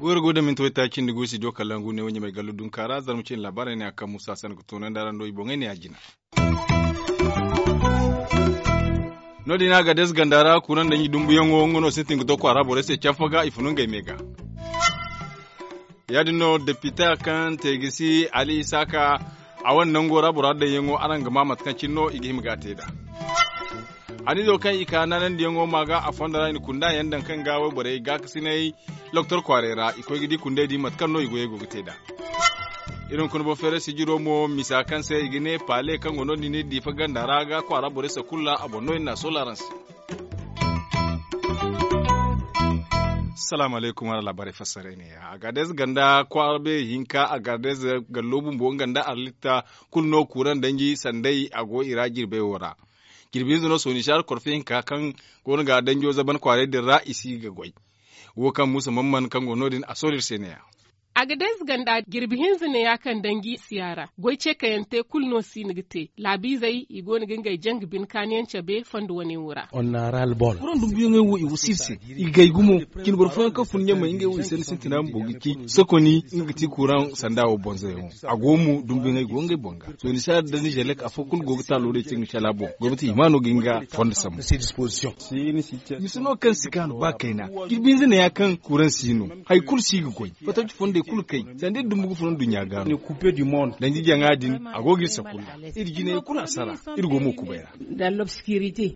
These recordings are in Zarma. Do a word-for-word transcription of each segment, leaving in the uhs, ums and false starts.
Goyro go da minti waytaaci nda guusi do kalangu ne wo ɲamay gallo dunka ra zarma cine laabaarey ne a kaŋ musa sanda ga toonandi araŋ do i boŋey ne a jina. No- din a ga dees ganda ra kuunaŋ danji dumbuyaŋo nga no sintin ga to kwaara borey se canfa ga i funu ngey me ga. Ya- din no depita kaŋ te ga si ali isaaka a wane nango ra bora daŋyaŋo araŋ ga ma mate kaŋ cine no i ga hima ga a te nd'a. Hanizo kaŋ i ka naanandiyaŋo ma ga a fondo ra i na kunda yaŋ daŋ kaŋ ga wayborey gaakasinay loktor kwaaray ra i koy ga di kundey din mate kaŋ no i goyey go ga te nd'a. Iri hunkuna boŋ feeray sijiro mo misa kaŋ se i ga ne paale kaŋ go no- din diifa ganda ra ga kwaara borey sakulla a boŋ no iri na a soola araŋ se. Salaamu alaykum araŋ laabaarey fassaray ne ya agades ganda kwaara beeri hinka agades gallo bumbo nga nda arlitta kulu no kuuraŋ danji sanday a go i ra jirbey wo ra. Jirbi hinza no sooni saara korfe hinka kaŋ go no ga danjo zaban kwaaray din ra i si ga goy. Wo kaŋ muusa man man kaŋ go no- din a soori iri se ne ya. Agades ganda jirbi hinza ne ya kaŋ danji siyaara goy ce kayante kulu no si ni ga te laabiizey i go no ga ngey janga bine kaani yaŋ cabe fondo wane wo ra. Kuraŋ dumbuyaŋey wo i wasa iri se i ga gay gumo. Cine boro fooyaŋ kaŋ fun ɲamey ngey wo i sanni sintina bumbo ga ci sokoni nga ga ti kuraŋ sanda wo bonzoyaŋo. A go mo dumbuyaŋey go ngey boŋ ga sooni saara da nizelek afo kulu go ga taalo day te nga shala boŋ gomnati hima no ga hin ga fondo sambu. Misa no kaŋ si kaanu ba kayna jirbi hinza ne ya kaŋ kuraŋ si no. Hari kulu si ga goy fattaci fondey kulu kay sanda iri dumbu ga fun nduɲɲa ga no. Danji jaŋa din a go ga iri sakulla. Iri jinay kulu hasara iri go mo kubay ra.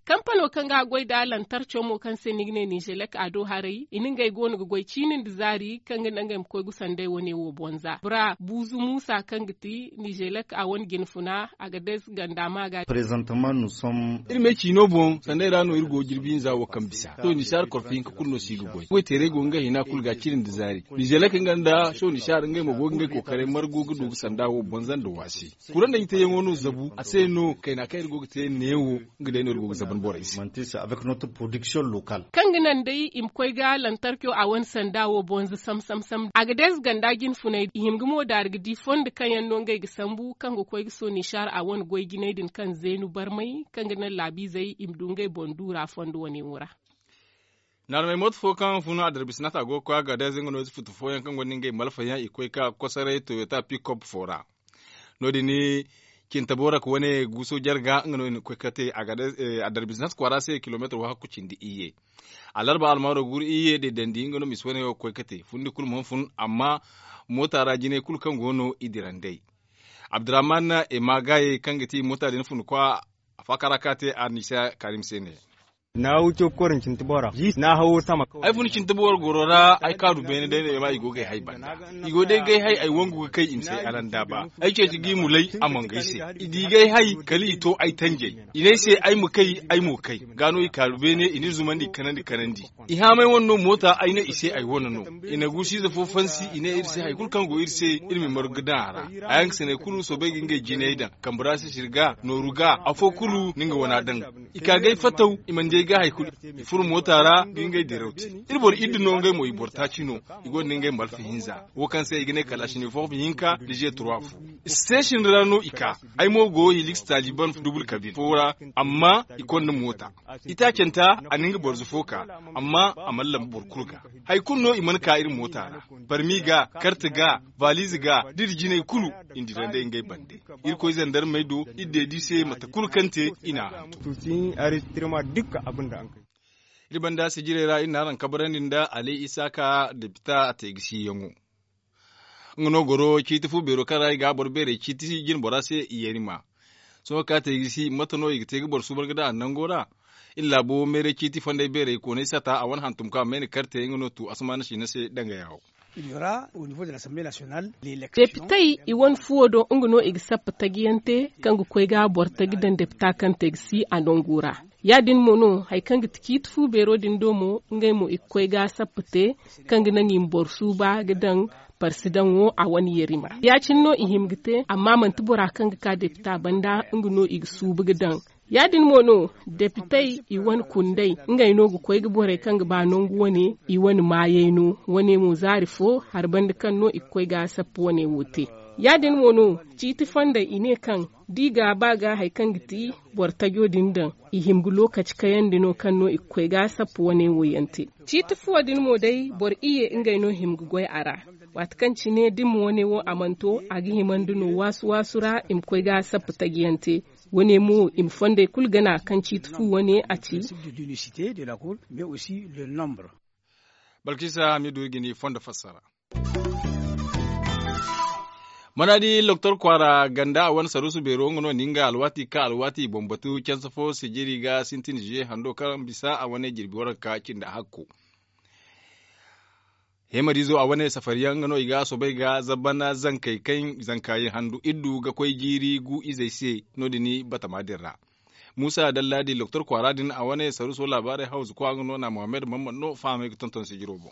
Kampano kaŋ ga goy nda lantarco mo kaŋ se ni ga ne nizelek a do haray i na ngey go no ga goy ciini nda zaari kaŋ ga naŋ ngey ma koy ga sanday wane wo bonza bora buuzu muusa kaŋ ga ti nizelek a wane jinfuna agades ganda ma ga. Iri me ciino boŋ sanday ra no iri go jirbi hinza wo kaŋ bisa to nisaari korfo hinka kulu no si ga goy goy teeray go nga hina kulu ga ciri nda zaari nizelek nga nda show nisaari ngey mo go ga ngey kookaray margu ga du ga sanda wo bonza nda waasi. Kuraŋ daŋ i teeyaŋo no zabu a se no kayna kaŋ iri go ga te neewo. Nga day no iri go ga zaban borey se. Kaŋ ga naŋ day i ma koy ga lantarco a wane sanda wo bonza sam sam sam agades ganda jinfunay i hima ga mo daari ga di fondo kaŋ yaŋ no ngey ga sambu kaŋ ga koy ga sooni saara a wane goy jinay din kaŋ zeenu barmay kaŋ ga naŋ laabiizey i ma du ngey boŋ duura fondo wane wo ra. Naarmey mooto fo kaŋ fun adarbi sinata go ga koy agades nga no ize futu fooyaŋ kaŋ gonda ngey malfayaŋ i koy ka kosoray toyota pikop fo ra. No- din cintabo ra ka wane guuso jarga nga no i na koy ka te adarbi sinata kwaara se kilomeetar wahakku cindi iyye. Alarba almaaro guuru iyye deedandi nga no misa wane wo ga koy ka te fundi kulu mana fun amma moota ra jinay kulu kaŋ go no i dirandey. Abdurrahman emagaye kaŋ ga ti moota din fun kwa a faakara ka te arnisa karim se ne. Ay fun cinti boro goro ra ay kaanu beene day no ay ma i go ga ay hay banda. I go day ga ay hay ay wangu ga kay i ma se ay alanda ba. Ay ceeci ga i mulay a mangay se. I di ga ay hay kala i to ay tanjay. I ne ay se ay ma kay ay mo kay. Ga no i kaanu beene i n'iri zumandi kanandi kanandi. I haamay wane no moota ay ne i se ay wane no. I na guusu ize fo fansi i ne iri se hari kulu kaŋ go iri se iri ma i margu ga daŋ a ra. Hayaŋ ga sanay kulu soobay ga ngey jinay daŋ kambe ra sisiri ga nooru ga afo kulu na nga wana daŋ. I ka ga ay fataw i mana di ay ga hari kulu. I furo moota ra ga ngey diraw te. Iri boro iddu no ngey mo i boro taaci no. I gonda ngey malfa hinza wo kaŋ se i ga ne kala sine foofa hinka da ze turwa fo. Station ra no i ka. Ay mo go hilix taliban dubul kabir fo ra. Amma i konda moota. Itaacanta a na nga borzo fo ka. Amma a mana lamba boro kulu ga. Hari kulu no i mana ka iri moota ra. Barmi ga karte ga valize ga da iri jinay kulu. Iri dira day ngey bande. Irkoy zandarmey do iri deedi se mate kulu kaŋ te i n'a hantum. Iri banda sijirey ra iri na araŋ kabarandi nda alay isaaka depita a te ga si yaŋo. Nga no goro ciiti fu beero kaŋ ra i ga boro beerey ciiti jine bora se i yerima. Sohõ ka te ga si mate no i ga te ga boro suuban ga daŋ a nango ra. Iri laabo meeray ciiti fonday beerey koonay sata a wane hantum kaŋ a mayna karte nga no tu asamaana siina se danga yaawo. Depitey i wane fuwo do nga no i ga sappa taji yaŋ te kaŋ ga koy ga boro taji daŋ depita kaŋ te ga si a nangu ra. Ya- din mo no hari kaŋ ga ti ciiti fu beero din do mo ngey mo i ga koy ga sappa te kaŋ ga naŋ i ma boro suuba ga daŋ parsi daŋo a wane yerima ya- cine no i hima ga te amma manti bora kaŋ ga ka depita banda nga no i ga suuba ga daŋ. Ya- din mo no depitey i wane kunday ngey no ga koy ga borey kaŋ ga ba nangu wane i wane maayey no wane mo zaari fo hari banda kaŋ no i ga koy ga sappa wane wo te. Ya- din mo no, ciiti fondey i ne kaŋ da i ga a ba ga hari kaŋ ga ti boro tajo din daŋ, i hima ga lookaci kayandi no kaŋ no i ga koy ga sappu wane wo yaŋ te. Ciiti fuwo din mo day, boro iyye ngey no hima ga goy a ra. Waati kaŋ cine da i ma wane wo a mana to, a ga himandi no waasu-waasu ra i ma koy ga sappu taji yaŋ te. Wane mo i ma fondey kulu gana kaŋ ciiti fu wane a ci. Balkisa hamidu ga ni fondo fassara. Mana di loktor kwaara ganda a wane saruusu beero nga no ni nga alwaati ka alwaati i boŋ batu canse fo sijiri ga sintin ziye hando kaŋ bisa a wane jirbi waranka cindi hakko. Heemariizo a wane safariyaŋ nga no i ga a soobay ga zabbana zankey kaŋ zanka ye handu iddu ga koy jiiri gu izey se. No- din batama din ra muusa dallaadi loktor kwaara din a wane saruuso laabaarey hawzu kwa nga no na mohammed mammad no fahamay ga tonton sijiro boŋ.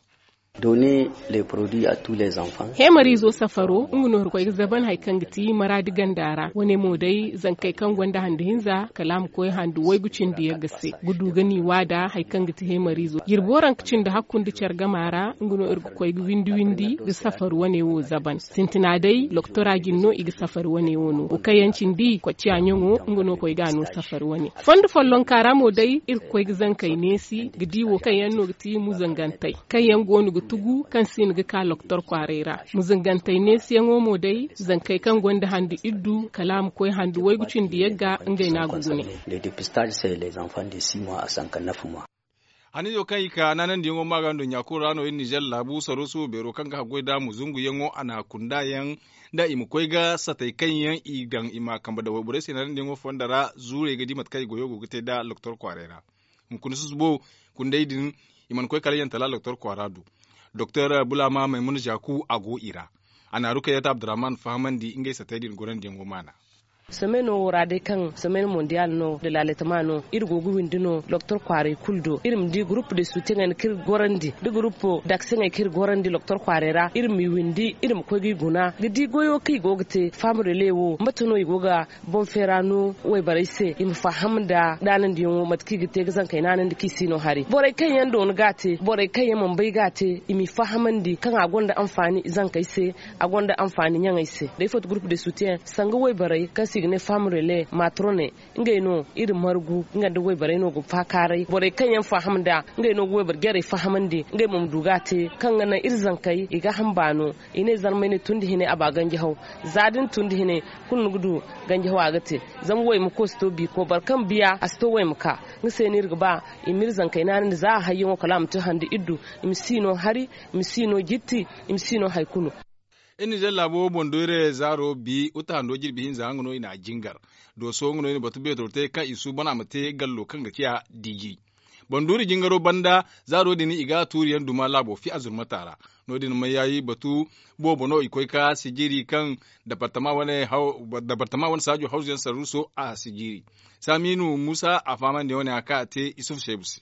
Heemariizo safaro nga no hari koy ga zaban hari kaŋ ga ti maraadi ganda ra wane mo day zankey kaŋ gonda handu hinza kala a ma koy handu waygu cindi yagga se ga du ga ni waada hari kaŋ ga ti heemariizo jirbi waranka cindi hakku nda care gama ra nga no iri ga koy ga windi windi ga safari wane wo zaban sintina day loktora jine no i ga safari wane wo no wo kaŋ yaŋ cindi kocciya ɲaŋo nga no koy ga a no safari wane fondo follonka ra mo day iri ga koy ga zankey neesi ga di wo kaŋ yaŋ no ga ti muzangantey kaŋ yaŋ go no ga tugu kaŋ si hin ga ka loktor kwaaray ra. Muzangantey neesiyaŋo mo day zankey kaŋ gonda handu iddu kala a ma koy handu waygu cindi yagga ngey no a ga gune. Hanizo kaŋ i ka naanandiyaŋo ma ga nduɲɲa kulu ra no iri nizer laabu saruusu beero kaŋ ga haggoy nd'a muzunguyaŋo a na kunda yaŋ nda i ma koy ga satey kaŋ yaŋ i daŋ i ma a kambe da wayborey se naanandiyaŋo fondo ra zuurey ga di mate kaŋ i goyo go ga te nda loktor kwaaray ra. Hunkuna susubo kundey din i mana koy kala yantala doktor kwaara do. Doktor bulama maymuna zaku a go i ra. A na rukayyata abdurrahman fahamandi ngey satey din gorandiyaŋo maana. Someno wo ra day kaŋ someno mondial no da laaletama no iri go ga windi no doktor kwaaray kulu do iri ma di gurupu de sutiyaŋey no kaŋ iri ga gorandi da gurupu dakseyaŋey kaŋ iri ga gorandi doktor kwaaray ra iri ma i windi iri ma koy ga i guna ga di goyo kaŋ i go ga te fahamari le wo mate no i go ga boŋ feera no wayborey se i ma faham nda naanandiyaŋo mate kaŋ i ga te ga zankey naanandi kaŋ i si no hari borey kaŋ yaŋ doona ga a te borey kaŋ yaŋ mana bay ga a te i m'i fahamandi kaŋ a gonda anfaani zankey se a gonda anfaani ɲaŋey se day foto gurupu de sutiyaŋ sanga wayborey kaŋ se i ga ne faham rele matrone ngey no iri margu nga nda wayborey no ga faakaaray borey kaŋ yaŋ faham nda ngey no ga wayboro jarey fahamandi ngey mo ma du ga a te kaŋ ga naŋ iri zankey i ga hamba no i ne zarmay ne tun nda hinay a ba ganji haw za da ni tun nda hinay kulu ni ga du ganji haw a ga te zama wayma koosito biiko boro kaŋ biya a si to wayma ka nga se no iri ga ba i ma iri zankey naanandi za a hayyaŋo kala a ma to handi iddu i ma si no hari i ma si no jitti i ma si no hari kulu. Iri nizer laabo boŋ-doyre zaaro bi uta hando jirbi hinza nga no i na a jingar dooso nga no i na batu beetoro te kaŋ i suuban a ma te gallo kaŋ ga ciya diji boŋ-duuri jingaro banda zaaro din i ga a tuuriyaŋ duma laabo fi a zurmata ra. No- din mayyayi batu boobo no i koy ka sijiri kaŋ dabartama wane saajo hawzuyaŋ sarruuso a sijiri. Saamiinu muusa a fahamandi wane a ka a te isufu seebu se.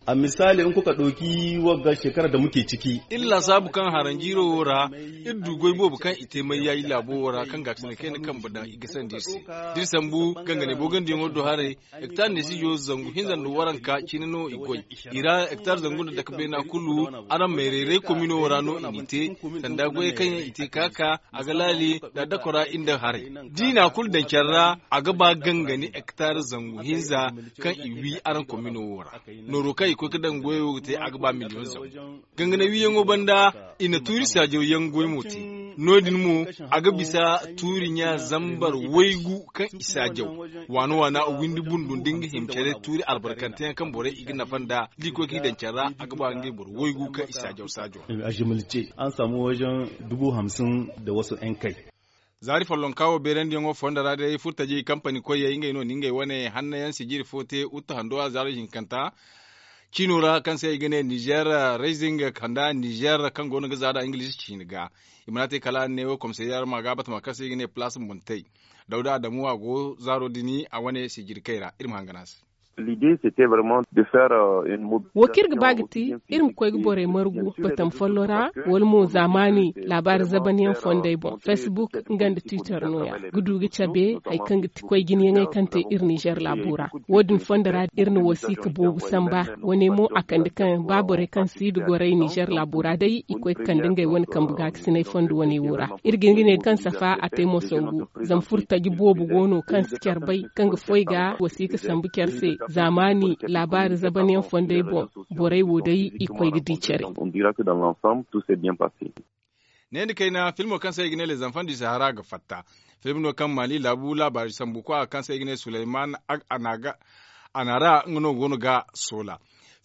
A misaali in kuka ɗauki wagga shekara da muke ciki. Iri laasaabu kaŋ haranjiiro wo ra iri du goy boobo kaŋ i te mayyayi laabo wo ra kaŋ gaakasina kayna kambe daŋ i ga sandi iri se da iri sambu gangane boogandiyaŋo do haray. Hektar nda i si jo zangu hinza nda waranka cine no i goy i ra hektar zangu nda dake beena kulu. Araŋ mayrayray komino ra no i n'i te sanda goyey kaŋ yaŋ i te ka ka a ga laali nda dakora iri nda haray da i na a kulu daŋ care ra a ga ba gangani hektar zangu hinza kaŋ i wi araŋ komino wo ra. Nooro kaŋ i koy ga daŋ goyo ga te a ga ba miliyoŋ zangu. Gangane wiyaŋo banda i na tuuri saajaw yaŋ goy mo te. No- din mo a ga bisa tuuri ɲa zambar waygu kaŋ i saajaw waana waana windi bundu nda nga hima care tuuri albarkante yaŋ kaŋ borey i ga nafa nd'a da i koy ga i daŋ care ra a ga ba ngey boro waygu kaŋ i saajaw saajaw. An samu wajen dubu hamsin da wasu yaŋ kay. Zaari follonka wo beerandiyaŋo fondo ra day furtaji kampani koyey ngey no na ngey wane hanno yaŋ sijiri fo te uta hando a zaaro hinkanta ciino ra kaŋ se i ga ne nizer raising kanda nizer kaŋ go no ga za nd'a ingilizi ciini ga. I mana te kala neewo komsayyer ma ga batama kaŋ se i ga ne palaas montey. Dawda adamu a go zaaro din a wane sijiri kay ra iri ma hangan a se. Wo kaŋ iri ga ba ga ti iri ma koy ga borey margu batam follo ra, wala mo zaamaani laabaari zabanyaŋ fondey boŋ, facebook nga nda twitter nooya, ga du ga cabe hari kaŋ ga ti koy jinayaŋey kaŋ te iri nizer laabo ra. Wo- din fondo ra iri na wasiika boobo samba. Wane mo a kande kaŋ ba borey kaŋ si nda goray nizer laabo ra day i koy ga kande ngey wane kambe gaakasinay fondo wane wo ra. Iri ga hin ga ne kaŋ safa a te mo sangu, zama furtaji boobo go no kaŋ si care bay, kaŋ ga foy ga wasiika sambu care se. Zaamaani laabaari zabanyaŋ fondey boŋ, borey wo day i koy ga di care. Ne ni kayna filmo kaŋ se i ga ne le zamfan di sahara ga fatta. Film no kaŋ mali laabu laabaari sambu kwa kaŋ se i ga ne suleyman, a na ra nga no go no ga soola.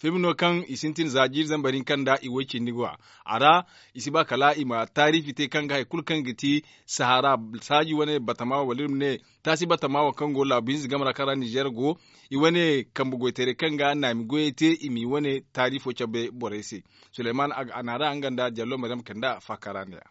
Film no kaŋ i sintin za jiiri zambar hinka nda i way cindi go a ra. I si ba kala i ma taariifi te kaŋ ga hari kulu kaŋ ga ti sahara saaji wane batama wala iri ma ne taasi batama wo kaŋ go laabu hinza game ra kaŋ ra nizer go. I wane kambe goytaray kaŋ ga naami goyey te i m'i wane taariifo cabe borey se. Suleyman a na ra nga nda jallo maryam kanda faakara ne ya.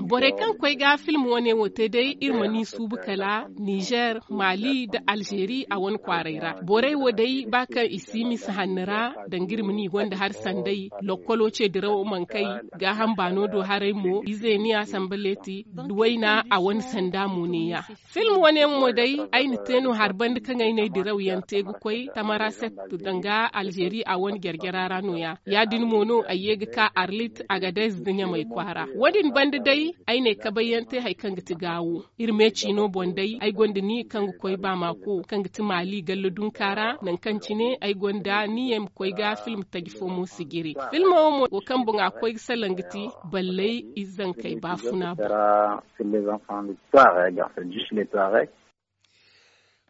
Borey kaŋ koy ga film wane wo te day iri ma ni suubu kala nizer, mali nda alzeeri a wane kwaaray ra. Borey wo day ba kaŋ i si misa hanni ra danga iri ma ni gonda hari sanday. Lokkolo ce dirawo mana kay, gaaham baano do haray mo izeeniya samba leeti, wayna a wane sanda mo neeya. Film wane yaŋ mo day ay na te no hari banda kaŋ ay n'ay diraw yaŋ te ga koy tamaraset, danga alzeeri a wane jarjara ra nooya. Ya- din mo no ay ye ga ka arlit agadez nda ɲamay kwaara. Wo- din banda day ay n'ay kabay yaŋ te hari kaŋ ga ti gaawo. Iri me ciino boŋ day ay gonda ni kaŋ ga koy baamaako kaŋ ga ti maali galla dunka ra nangu kaŋ cine ay gonda ni ye ma koy ga film taji fo mo sijiri. Filmo wo mo wo kaŋ boŋ a koy ga salaŋ ga ti balley ize zankey baafuna boŋ.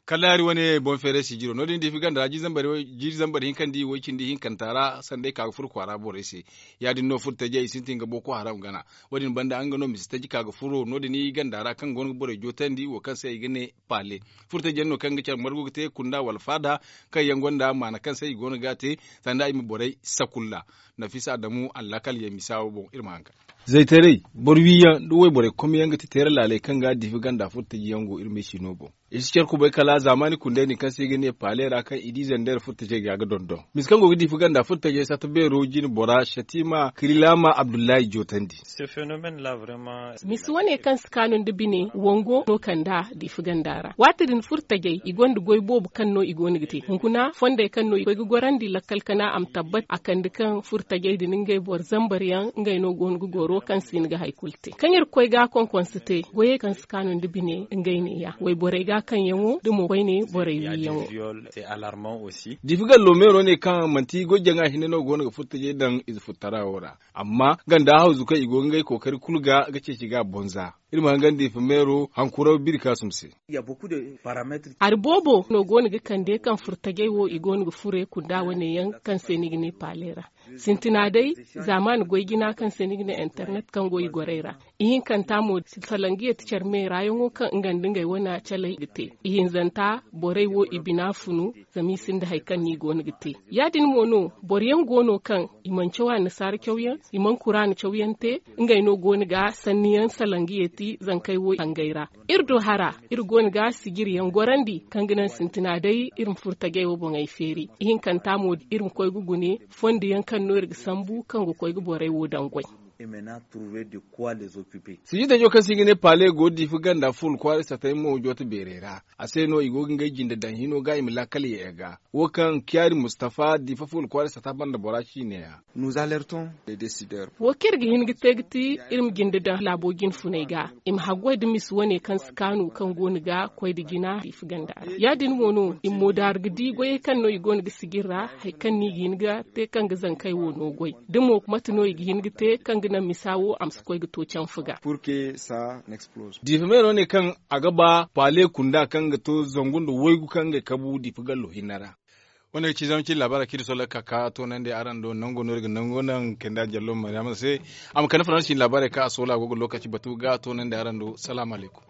Kalaari wane boŋ feeray sijiro no- din diifi ganda ra jiiri zambar hinka nda i way cindi hinkanta ra sanda ay ka ga furo kwaara borey se. Ya- din no furo tajey i sintin ga boko haram gana. Wo- din banda nga no misi taji ka ga furo no- din i ganda ra kaŋ go no ga borey jootandi wo kaŋ se i ga ne paale. Furo taji yaŋ no kaŋ ga care margu ga te kunda wala faada, kaŋ yaŋ gonda maana kaŋ se i go no ga a te, sanda i ma borey sakulla. Nafisa adamu allakal yaŋ misa wo boŋ iri ma haŋ ka zaytaray boro wiyaŋ nda wayborey komyaŋ ga ti teera laaley kaŋ ga diifi ganda furo taji yaŋ go iri ma ay si no boŋ. I si care kubay kala zaamaani kundey din kaŋ se i ga ne paale ra kaŋ i di zander furtajey ga ga dondon misa kaŋ go ga diifi ganda furtajey satta beero jine bora shatima kirilama abdullahi jootandi. Misa wane kaŋ si kaanu nda bine wango no kanda diifi ganda ra waati din furtajey i gonda goy boobo kaŋ no i go no ga te hunkuna fondey kaŋ no i koy ga gorandi lakkal kana a ma tabbat a kande kaŋ furtajey din ngey boro zambar yaŋ ngey no go no ga goro kaŋ si hin ga hari kulu te kaŋ iri ga koy ga konkonse te goyey kaŋ si kaanu nda bine ngey neeya wayborey ga kaŋ yaŋo da mo koyne borey wi yaŋo. Diifi gallo meero ne kaŋ manti goy jaŋa hinne no go no ga furtajey daŋ ize furtara wo ra. Amma ganda hawzu kaŋ i go ga ngey kookari kulu ga ga ceeci ga bonza. Iri ma hangan diifi meero hankuraw biri kaasum se. Hari boobo no go no ga kande kaŋ furtajey wo i go no ga fure kunda wane yaŋ kaŋ se ni ga ne paale ra. Sintina day zaamaani goy jina kaŋ se ni ga ne internet kaŋ go i gorey ra. Ihinkanta mo salangiya ti care meera yaŋo kaŋ nga nda ngey wane calay ga te. Ihinzanta borey wo i bina funu zama i sinda hari kaŋ no i go no ga te. Ya- din mo no boro yaŋ go no kaŋ i mana caw annasaara cawyaŋ, i mana kuraana cawyaŋ te. Ngey no go no ga sanniyaŋ salangiya ti zankey wo hangey ra. Iri do hara iri go no ga sijiriyaŋ gorandi kaŋ ga naŋ sintina day iri ma furo tajey wo boŋey feeri. Ihinkanta mo iri ma koy ga gune fondo yaŋ kaŋ no iri ga sambu kaŋ ga koy ga borey wo daŋ goy. Sijitajo kaŋ se i ga ne paale go diifi ganda fuula kwaara satay mo joote beerey ra. A se no i go ga ngey jinde daŋ hino ga i ma laakal ye ga wo kaŋ kiyaari mustafa diifa fuula kwaara sata banda bora ciine ya. Wo kaŋ iri ga hin ga te ga ti iri ma jinde daŋ laabo jine funay ga i ma haggoy nda misi wane kaŋ si kaanu kaŋ go no ga koy nda jina diifi ganda ra ya- din mo no i ma moodaaru ga di goyey kaŋ no i go no ga sijiri ra. Hari kaŋ no i ga hin ga te kaŋ ga zankey wo no goy da mo mate no i ga hin ga te kaŋ ga naŋ misa wo a ma si koy ga to canfa ga. Diifa meero ne kaŋ a ga ba paale kunda kaŋ ga to zangu nda waygu kaŋ ga kabu diifa gallo hinne ra. Wane ga ci zama cine laabaarey kaŋ iri sooley ga ka ka toonandi araŋ do nango no iri ga nango naŋ kayna jallo maryama se. A ma kande faransi cine laabaarey kaŋ a soola go ga lookaci batu ga toonandi araŋ do salaamu alaykum.